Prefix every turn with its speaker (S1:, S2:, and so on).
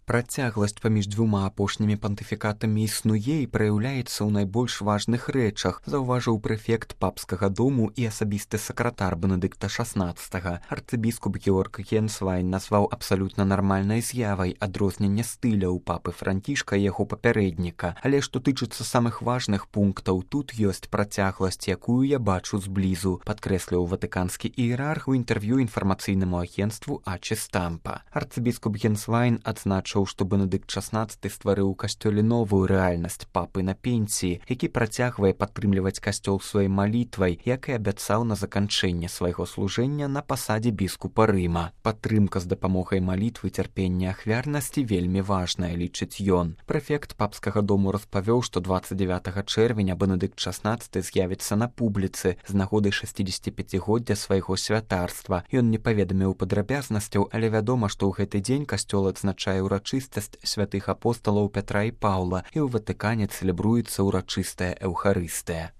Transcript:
S1: Працягласць паміж дзвюма апошнімі пантыфікатамі існуе і праяўляецца ў найбольш важных рэчах, заўважыў прэфект папскага дому і асабісты сакратар Бенедыкта XVI. Арцыбіскуп Георг Генсвайн назваў абсалютна нармальнай з'явай адрозненне стыля ў папы Францішка і яго папярэдніка. Але што тычыцца самых важных пунктаў, тут ёсць працягласць, якую я бачу зблізу, падкрэсліў ватыканскі іерарх у інтэрв'ю інфармацыйнаму агенцтву Ачы Стампа. Арцыбіскуп Генсвайн адзначыў, што Бенедыкт XVI стварыў у касцёле новую рэальнасць папы на пенсіі, які працягвае падтрымліваць касцёл сваёй малітвай, як і абяцаў на заканчэнне свайго служэння на пасадзе біскупа Рыма. Падтрымка з дапамогай малітвы, цярпення, ахвярнасці вельмі важная, лічыць ён. Прэфект папскага дому распавёў, што 29 чэрвеня Бенедыкт XVI з'явіцца на публіцы з нагоды 65-годдзя свайго святарства. Ён не паведаміў падрабязнасцяў, але вядома, што ў гэты дзень касцёл адзначае ўрачыстасць святых апосталаў Пятра і Паўла, і ў Ватыкане цэлебруецца ўрачыстая эўхарыстыя.